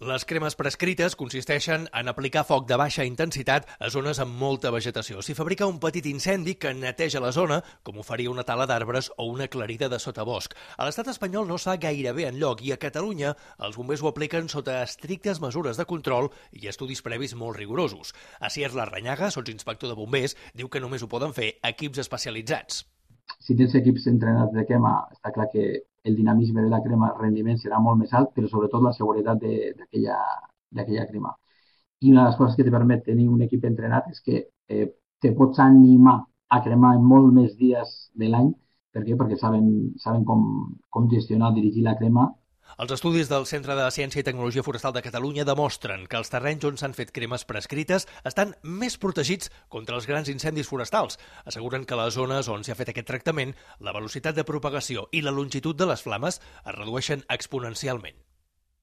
Les cremes prescrites consisteixen en aplicar foc de baixa intensitat a zones amb molta vegetació. S'hi fabrica un petit incendi que neteja la zona, com ho faria una tala d'arbres o una aclarida de sotabosc. A l'estat espanyol no es fa gairebé enlloc i a Catalunya els bombers ho apliquen sota estrictes mesures de control i estudis previs molt rigorosos. Asier Larrañaga, sotsinspector de bombers, diu que només ho poden fer equips especialitzats. Si tens equips entrenats de crema, està clar que el dinamisme de la crema, el rendiment serà molt més alt, però sobretot la seguretat d'aquella crema. I una de les coses que te permet tenir un equip entrenat és que te pots animar a cremar en molt més dies de l'any. Per què? Perquè saben com gestionar, dirigir la crema. Els estudis del Centre de Ciència i Tecnologia Forestal de Catalunya demostren que els terrenys on s'han fet cremes prescrites estan més protegits contra els grans incendis forestals. Asseguren que a les zones on s'ha fet aquest tractament, la velocitat de propagació i la longitud de les flames es redueixen exponencialment.